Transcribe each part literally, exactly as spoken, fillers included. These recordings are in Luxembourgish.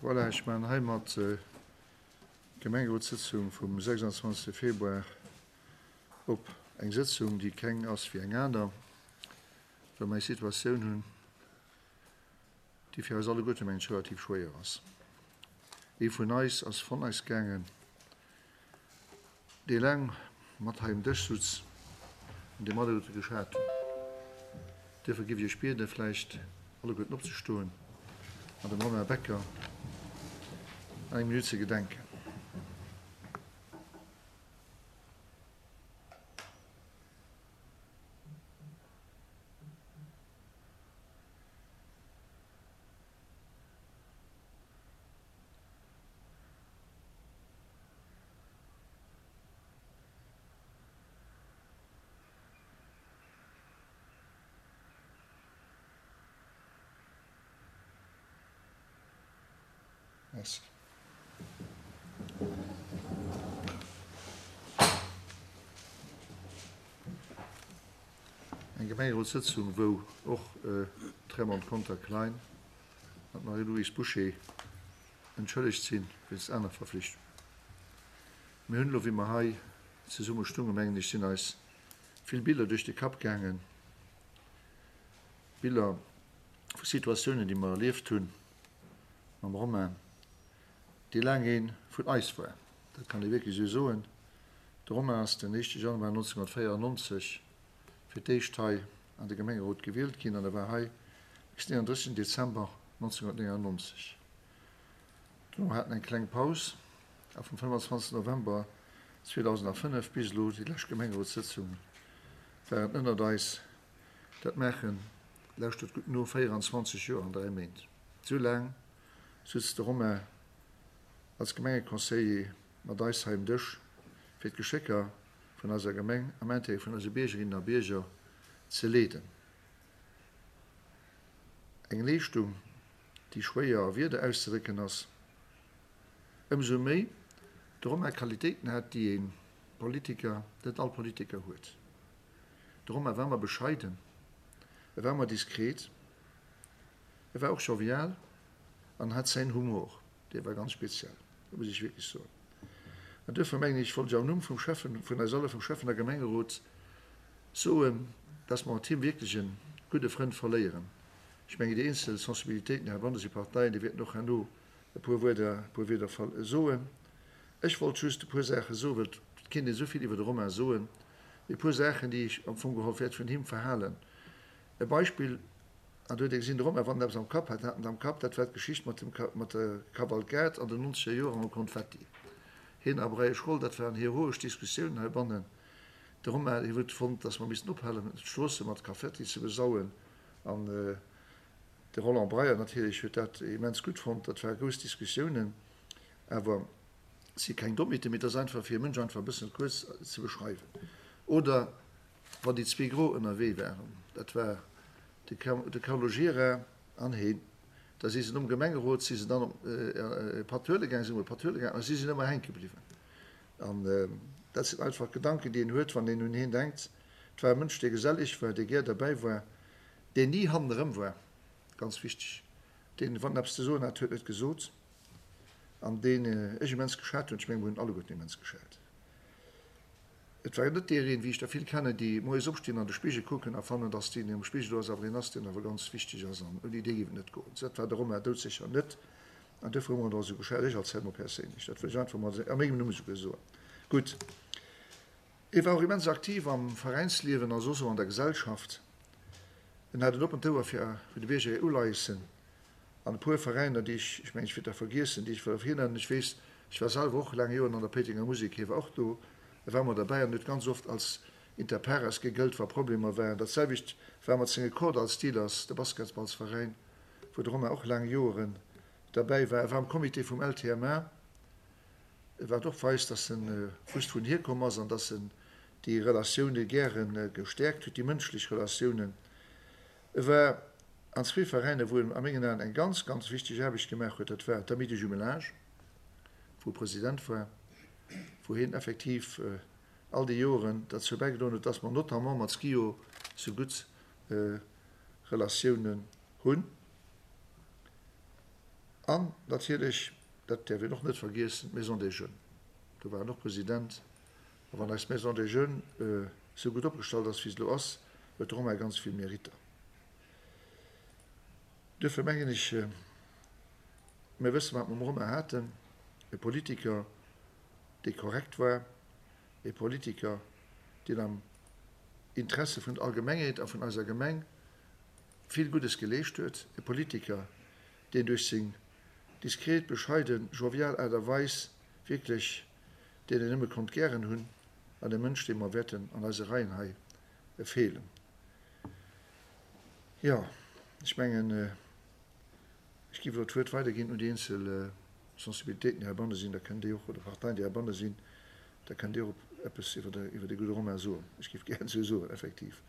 Voilà, ech maachen heimat d'Gemengerotssëtzung vum sechsandzwanzegste Februar op. Eng Sëtzung, déi keng ass wéi eng aner, well mer eng Situatioun hunn, déi fir eis alleguerte, mengen ech, relativ schwéier ass. Ee vun eis ass von eis gaangen, dee laang mat hei um Dësch sutz an dee mer alleguerte geschat hunn. Duerfir géif ech Iech bieden, vläicht alleguerten opzestoen an dem Romain Becker eng Minutt ze gedenken. Merci. Eng Gemengerotssëtzung, wou och d'Raymonde Conter-Klein an d'Marie-Louise Bouché entschëllegt sinn wéinst aner Verflichtungen. Mir hunn elo, wéi mer hei zesumme stungen, mengen ech, sinn eis vill Biller duerch de Kapp gaangen, Biller vu Situatiounen, déi mer erlieft hunn mam Romain, dee laang ee vun eis war. Dat kann ee wierklech esou soen. De Romain ass den éischte Januar nonzénhunnertvéierannonzeg fir d'éischt hei an de Gemengerot gewielt ginn an e war hei bis den eenunddrëssegsten Dezember nonzénhunnertnéngannonzeg. Dono hat en eng kleng Paus a vum fënnefanzwanzegsten November zweedausendafënnef bis elo, déi lescht Gemengerotssëtzung, war en ënnert eis. Dat maachen, lauschtert gutt no, véieranzwanzeg Joer an dräi Méint. Esou laang sutz de Romain als Gemengeconseiller mat eis hei um Dësch, fir d'Geschécker vun eiser Gemeng am Intérêt vun eise Biergerinnen a Bierger ze leeden. Eng Leeschtung, déi schwéier a Wierder auszedrécken ass, ëmsou méi de Romain Qualitéiten hat, déi ee Politiker, net all Politiker huet. De Romain war ëmmer bescheiden, e war ëmmer diskret, e war och jovial an hat säin Humor, dee war ganz speziell, dat muss ech wierklech soen. An duerfir mengen ech, wollt ech am Numm vum Schäffen, vun eis alle, vum Schäffen a Gemengerot soen, dass mer mat him wierklech e gudde Frënd verléieren. Ech mengen, déi eenzel Sensibilitéiten heibanne si Parteien, déi wäerten och herno e puer Wuerder, e puer Wierder soen. Ech wollt just e puer Saache soen, well et kéint een esou vill iwwer de Romain soen, mee e puer Saachen, déi ech am Fong geholl wäert vun him verhalen. E Beispill, an do huet ee gesinn, de Romain, wann en eppes am Kapp hat, hat en et am Kapp, dat war d'Geschicht mat dem, mat der Kavalkad an den nonzeger Joren mam Konfetti. Hien a Breyesch Roll, dat waren heroesch Diskussiounen heibannen. De Romain, hie huet fonnt, datt mer missten ophalen, d'Stroosse mat Konfetti ze besauen. An de Roland Breyer natierlech huet dat immens gutt fonnt. Dat ware grouss Diskussiounen. Awer et si keng Dommheeten, mee et ass einfach, fir e Mënsch einfach e bëssen kuerz ze beschreiwen. Oder wann déi zwee Gro ënnerwee waren, dat war de Carlo Gira an heen, da si se nom Gemengerot si se dann op e Patt huele gaangen, si hunn e Patt huele gaangen a si sinn ëmmer hänke bliwwen. An dat sinn einfach Gedanken, déi een huet, wann een un heen denkt. Et war e Mënsch, dee gesellig war, dee gär derbäi war, deen ni hannerëm war, ganz wichteg, deen, wann en eppes ze soen hat, huet en et gesot an deen ech immens geschat hunn. Ech mengen, mer hunn alleguerten immens geschat. Et war net deer een, wéi ech der vill kennen, déi moies opstinn, an de Spigel kucken a fannen, dass deen, deen am Spigel do ass, awer een ass, deen awer ganz wichteg ass an ouni dee géif et net goen. Dat war de Romain doudsécher net an duerfir hu mer en och esou geschat, ech als Helmo perséinlech. Dat wëll ech einfach mol a mengem Numm esouguer soen. Gutt. E war och immens aktiv am Veräinsliewen a soss och an der Gesellschaft. En hat en oppent Ouer fir de Bierger hir Uleiessen an e puer Veräiner, déi ech, ech mengen, ech wäert der vergiessen, déi ech wëll ervirnennen. Ech weess, ech war selwer och laang Joren an der Péitenger Musek, hie war och do, e war ëmmer derbäi an huet ganz oft als inter pares gegëllt, wa Problemer waren. Dat selwecht war mat senge Kordall Steelers, de Basketballsveräin, wou de Romain och laang Joeren derbäi war. E war am Comité vum L T M A, wat och weist, dass en wusst, wou en hierkomm ass an dass en déi Relatioune gäre gestäerkt huet, déi mënschlech Relatiounen. E war an zwee Veräiner, wou en a mengen Aen eng ganz, ganz wichteg Aarbecht gemaach huet, dat war d'Amis de Jumelage, wou e President war, wou hien effektiv all déi Joren derzou bäigedroen huet, dass mer notamment mat Schio sou gutt Relatiounen hunn. An natierlech, dat däerf een och net vergiessen, d'Maison des Jeunes. Do war en och President. A wann eis Maison des Jeunes esou gutt opgestallt ass, wéi se elo ass, huet de Romain ganz vill Meritter. Duerfir mengen ech, mir wëssen, wat mer um Romain haten, e Politiker, dee korrekt war, e Politiker, deen am Interesse vun der Allgemengheet a vun eiser Gemeng vill Guddes geleescht huet, e Politiker, deen duerch seng diskret, bescheiden, jovial Aart a Weis wierklech, deen een nëmme konnt gären hunn, an e Mënsch, deem mer wäerten an eise Reien hei feelen. Jo, ech mengen, ech géif elo d'Wuert weiderginn un déi eenzel Sensibilitéiten, déi heibanne sinn. Da kënnt Dir och, oder Parteien, déi heibanne sinn, da kënnt Dir och eppes iwwer de gudde Romain soen. Ech géif gären esou soen, effektiv.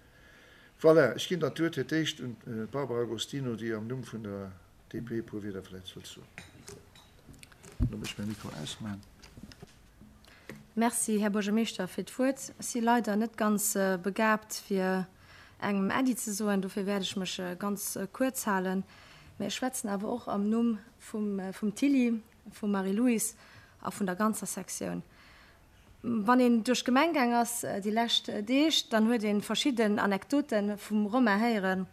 Voilà, ech ginn dann d'Wuert fir d'éischt un d'Barbara Agostino, déi am Numm vun der D P e puer Wierder vläicht wëllt soen. Lo muss ech mäi Mikro ausmachen. Merci, Här Buergermeeschter, fir d'Wuert. Ech si leider net ganz begaabt, fir engem Äddi ze soen, dofir wäert ech mech ganz kuerz halen. Mä ech schwätzen awer och am Numm vum Tilly, vum Marie-Louise a vun der ganzer Sektioun. Wann een duerch d'Gemeng gaang ass déi lescht Deeg, dann huet ee verschidden Anekdote vum Romain héieren.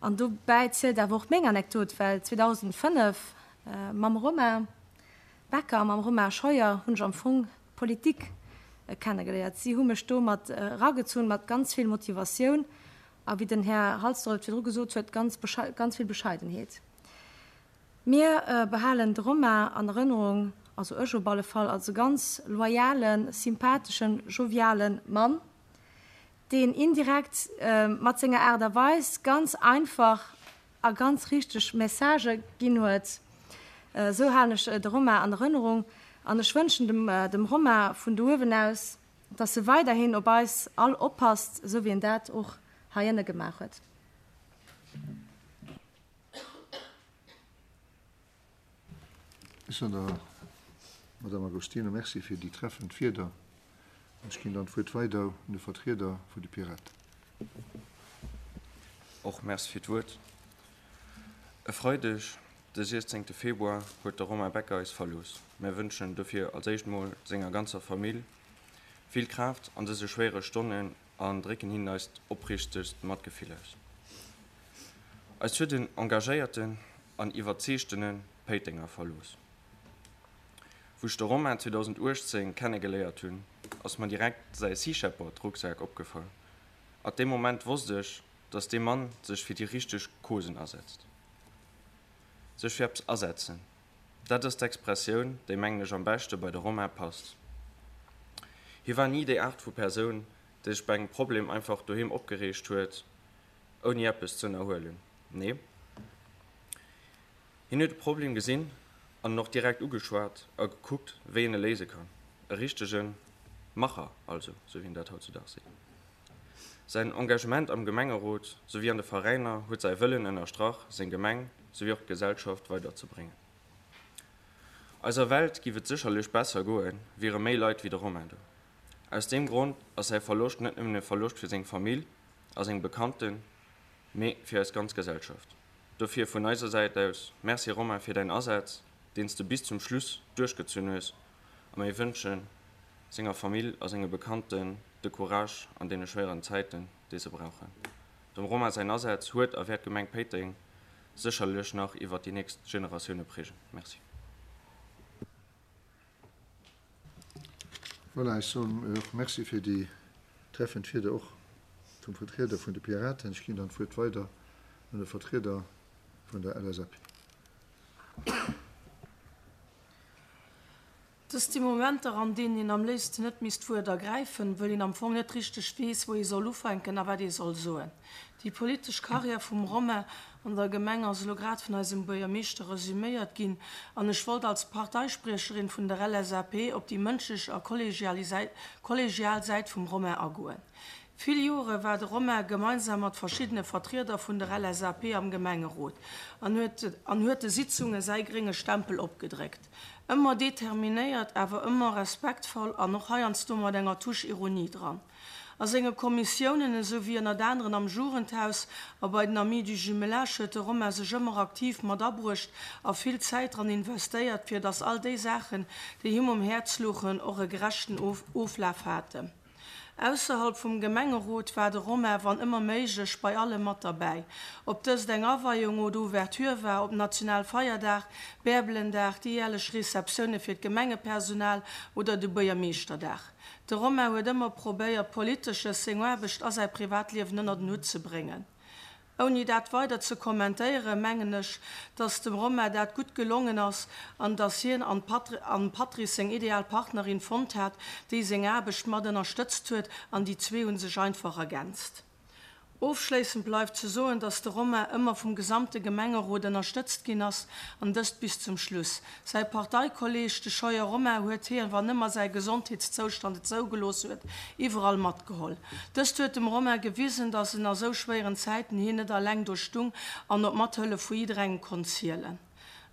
An dobäi zielt awer och meng Anekdot, well zweedausendfënnef mam Romain Becker a mam Romain Scheuer hunn ech am Fong d'Politik kennegeléiert. Si hu mech do mat eragezunn, mat ganz vill Motivatioun a wéi den Här Halsdorf et virdru gesot huet, ganz ganz vill Bescheidenheet. Mir behalen de Romain an Erënnerung, also ech op alle Fall, als e ganz loyalen, sympatheschen, joviale Mann, deen indirekt mat senger Aart a Weis ganz einfach a ganz richteg Messagë ginn huet. Esou halen ech de Romain an Erënnerung an ech wënschen dem Romain vun do uewen aus, dass e weiderhin op eis all oppasst, esou wéi en dat och hei ënne gemaach huet. Ech soen der Madame Agostino Merci fir déi treffend Wierder an ech ginn dann d'Wuert weider un de Vertrieder vun de Piraten. Och Merci fir d'Wuert. E Freideg, de siechzéngte Februar, huet de Romain Becker eis verlooss. Mär wënschen dofir als éischt mol senger ganzer Famill vill Kraaft an dëse schwéiere Stonnen an drécken hinnen eist opriichtegst Matgefill aus. Eis huet en engagéierten an iwwerzeegtene Péitenger verlooss. Wou ech de Romain zweedausenduechtzéng kennegeléiert hunn, ass mer direkt säi Sea Shepherd Rucksak opgefall. At deem Moment wosst ech, dass dee Mann sech fir déi richteg Causen asetzt. Sech fir eppes asetzen, dat ass d'Expressioun, déi mengen ech am beschte bei de Romain passt. Hie war ni déi Aart vu Persoun, déi sech bei engem Problem einfach doheem opgereegt huet, ouni eppes ze ënnerhuelen. Nee, hien huet e Problem gesinn an en och direkt ugeschwat a gekuckt, wéi een e léise kann. E richtege Macher also, sou wéi een dat hautzudaags seet. Säin Engagement am Gemengerot souwéi an de Veräiner huet säi Wëllen ënnerstrach, seng Gemeng souwéi och d'Gesellschaft weiderzebréngen. Eiser Welt giff et sécherlech besser goen, wiere méi Leit wéi de Romain do. Aus deem Grond ass säi Verloscht net nëmmen e Verloscht fir seng Famill a seng Bekannten, mee fir eis ganz Gesellschaft. Dofir vun eiser Säit aus, Merci Romain fir däin Asaz, deen s de bis zum Schluss duerchgezunn hues a mir wënschen senger Famill a senge Bekannten de Courage an deene schwéieren Zäiten, déi se brauchen. Dem Romain säin Asaz huet a wäert d'Gemeng Péiteng sécherlech nach iwwert déi nächst Generatioune prägen. Merci. Voilà, ech soen och Merci fir déi treffend Wierder och vum Vertrieder vun de Piraten. Ech ginn dann d'Wuert weider un de Vertrieder vun der L S A P. Dëst si Momenter, an deenen een am léifsten net misst d'Wuert ergräifen, wëll een am Fong net richteg weess, wou ee soll ufänken a wat ee soll soen. Déi politesch Karriär vum Romain an der Gemeng ass elo grad vun eisem Buergermeeschter resüméiert ginn an ech wollt als Parteispriecherin vun der L S A P op déi mënschlech a kollegial Säit vum Romain agoen. Vill Jore war de Romain gemeinsam mat verschiddene Vertrieder vun der L S A P am Gemengerot an huet an huet de Sitzunge säi grénge Stempel opgedréckt. Ëmmer determinéiert, awer ëmmer respektvoll an och heiansdo mat enger Touche Ironie dran. A senge Kommissiounen, esou wéi ënnert aneren am Jugendhaus a bei den Amis du Jumelage huet de Romain sech ëmmer aktiv mat abruecht a vill Zäit dran investéiert, fir dass all déi Saachen, déi him um Häerz louchen, och e gerechten Oflaf haten. Ausserhalb vum Gemengerot war de Romain, wann ëmmer méiglech, bei allem mat derbäi. Ob dëst eng Aweiung oder Ouverture war, ob Nationalfeierdag, Bärbelendag, déi järlech Receptioune fir d'Gemengepersonal oder de Buergermeeschterdag. De Romain huet ëmmer probéiert, Politesches, seng Aarbecht a säi Privatliewen ënnert en Hutt ze bréngen. Ouni dat weider ze kommentéieren, mengen ech, dass dem Romain dat gutt gelongen ass an dass hien am Patrice seng ideal Partnerin fonnt hat, déi seng Aarbecht mat ënnerstëtzt huet an déi zwee hu sech einfach ergänzt. Ofschléissend bleift ze soen, dass de Romain ëmmer vum gesamte Gemengerot ënnerstëtzt ginn ass, an dëst bis zum Schluss. Säi Parteikolleeg, de Scheuer Romain, huet hien, wann ëmmer säi Gesondheetszoustand et zougelooss huet, iwwerall matgeholl. Dëst huet dem Romain gewisen, dass en a sou schwéieren Zäiten hien net alleng do stung an op d'Mathëllef vu jidderengem konnt zielen.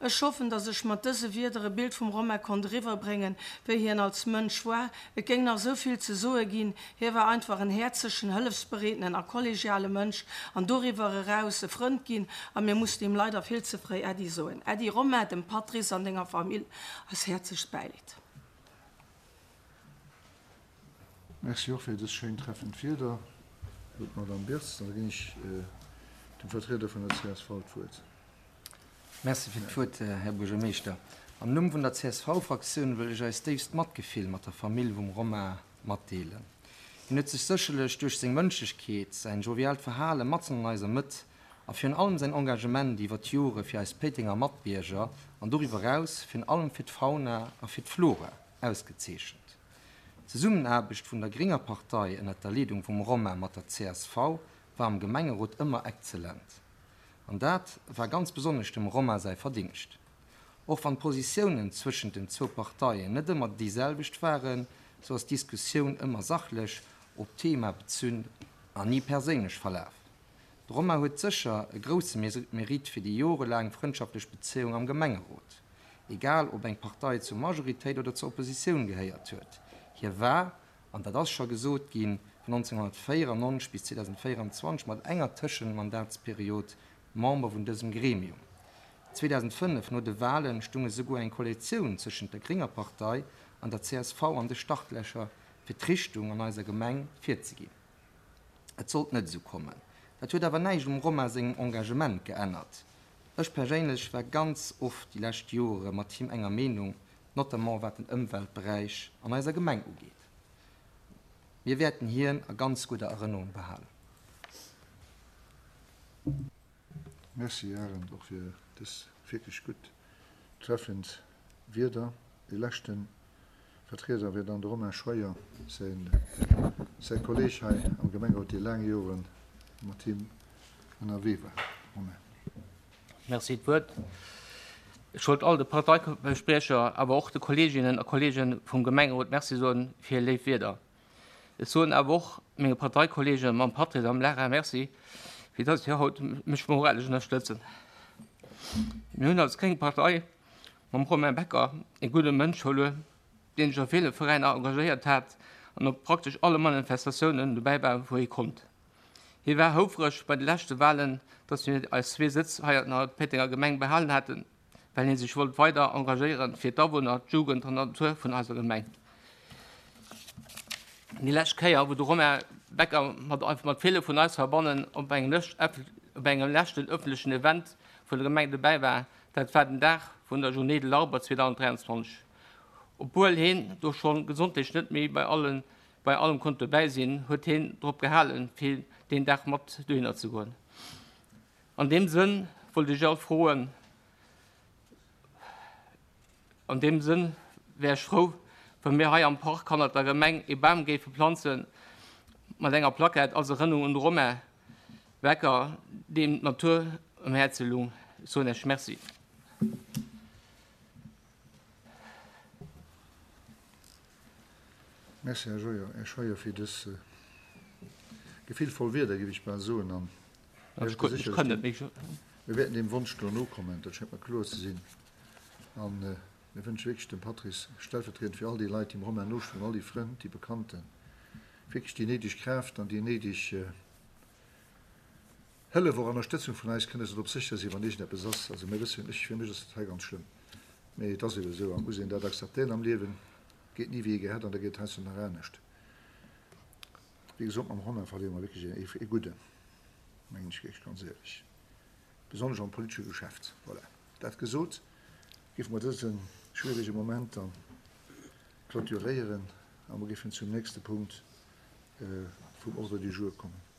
Ech hoffen, dass ech mat dëse Wierder e Bild vum Romain konnt eriwwerbréngen, wéi hien als Mënsch war. Et géing nach esou vill ze soe ginn. Hie war einfach en häerzegen, hëllefsbereeten a kollegiale Mënsch an doriwwer eraus e Frënd ginn. A mir mussen him leider vill ze fréi Äddi soen. Äddi Romain, dem Patrice an denger Famill eist häerzlechst Bäileed. Merci och fir dës schéin treffend Wierder, sot d'Madame Birtz. An da ginn ech dem Vertrieder vun der csv d'Wuert. Merci fir d'Wuert, Här Buergermeeschter. Am Numm vun der C S V-Fraktioun wëll ech eist déifst Matgefill mat der Famill vum Romain matdeelen. Hien huet sech sécherlech duerch seng Mënschlechkeet, säin joviaalt Verhale matzen an eiser Mëtt a virun allem säin Engagement iwwer d'Jore fir eis Péitenger Matbierger an doriwwer eraus virun allem fir d'Fauna a fir d'Flora ausgezeechent. D'Zesummenaarbecht vun der grénger Partei ënnert der Leedung vum Romain mat der C S V war am Gemengerot ëmmer exzellent. An dat war ganz besonnesch dem Romain säi Verdingscht. Och wann d'Positiounen zwëschent den zwou Parteien net ëmmer déi selwecht waren, sou ass d'Diskussioun ëmmer sachlech, op d'Thema bezunn an ni perséinlech verlaf. De Romain huet sécher e grousse Mérite fir déi jorelaang frëndschaftlech Bezéiung am Gemengerot. Egal ob eng Partei zur Majoritéit oder zur Oppositioun gehéiert huet, hie war, an dat ass scho gesot ginn, vun nonzénghonnertvéierennonzeg bis zweedausendvéieranzwanzeg mat enger Tëschenmandatsperiod Member vun dësem Gremium. zweedausendfënnef no de Walen stung esouguer eng Koalitioun zwëschent der grénger Partei an der C S V an de Startlächer fir d'Richtung an eiser Gemeng virzeginn. Et sollt net esou kommen. Dat huet awer näischt um Romain sengem Engagement geännert. Ech perséinlech war ganz oft déi lescht Jore mat him enger Meenung, notamment wat den Ëmweltberäich an eiser Gemeng ugeet. Mir wäerten hien a ganz gudder Erënnerung behalen. Merci Arend och fir dës wierklech gutt treffend Wierder. Dee leschte Vertrieder wier dann de Romain Scheuer, säin säi Kolleeg hei am Gemengerot, dee laang Jore mat him ënnerwee war. Romain. Merci d'Wuert. Ech wollt all de Parteispriecher, awer och de Kolleeginnen a Kolleegen vum Gemengerot Merci soen fir hir léif Wierder. Ech soen awer och menge Parteikolleegen mam Patrice a mam Lara Merci, fir dass si haut mech moralesch ënnerstëtzen. Mir hunn als gréng Partei mam Romain Becker e gudde Mënsch verluer, deen sech a ville Veräiner engagéiert hat an op praktesch alle Manifestatiounen dobäi war, wou hie konnt. Hie war houfreg bei de leschte Walen, dass mir eis zwee Sëtz hei an der Péitenger Gemeng behalen haten, well hie sech wollt weider engagéieren fir d'Awunner, d'Jugend an d'Natur vun eiser Gemeng. Déi lescht Kéier, wou de Romain Becker mat mat ville vun eis heibannen op engem op engem leschten ëffentlechen Event vun der Gemeng dobäi war, dat war den Dag vun der Journée de l'arbre zweedausendräianzwanzeg. Obwuel hien do schonn gesondheetlech net méi bei allen bei allem konnt dobäi sinn, huet hien drop gehalen, fir deen Dag mat dohinner ze goen. An deem Sënn wollt ech all froen, an deem Sënn wär ech frou, wa mir hei am Park hannert der Gemeng ee Bam géife planzen, mat enger Plackett als Erënnerung un de Romain Becker, deem d'Natur um Häerze lung. Ech soen Iech Merci. Merci, Här Scheuer, Här Scheuer, fir dës gefillvoll Wierder, géif ech bal soen. An Ech kann net méi. Mir wäerten deem Wonsch do nokommen, dat schéngt mer kloer ze sinn. An mir wënsche wierklech dem Patrice, stellvertriedend fir all déi Leit, déi dem Romain nostoen, all déi Frënn, déi Bekannten, wierklech déi néideg Kraaft an déi néideg Hëllef, och Ënnerstëtzung vun eis, kënne se drop sécher sinn, wann iergendeppes ass. Also mir wëssen, ech, fir mech ass dat hei ganz schlëmm, mee et ass ebe esou a muss een dat akzeptéieren am Liewen, geet ni wéi ee gär hätt an da geet et heiansdo nach anescht. Wéi gesot, mam Romain verléiere mer wierklech ee Gudden, mengen ech wierklech ganz éierlech, besonnesch am politesche Geschäft. Voilà, dat gesot, géife mer dëse schwierege Moment dann clôturéieren a mer géifen zum nächste Punkt vum Ordre du jour kommen.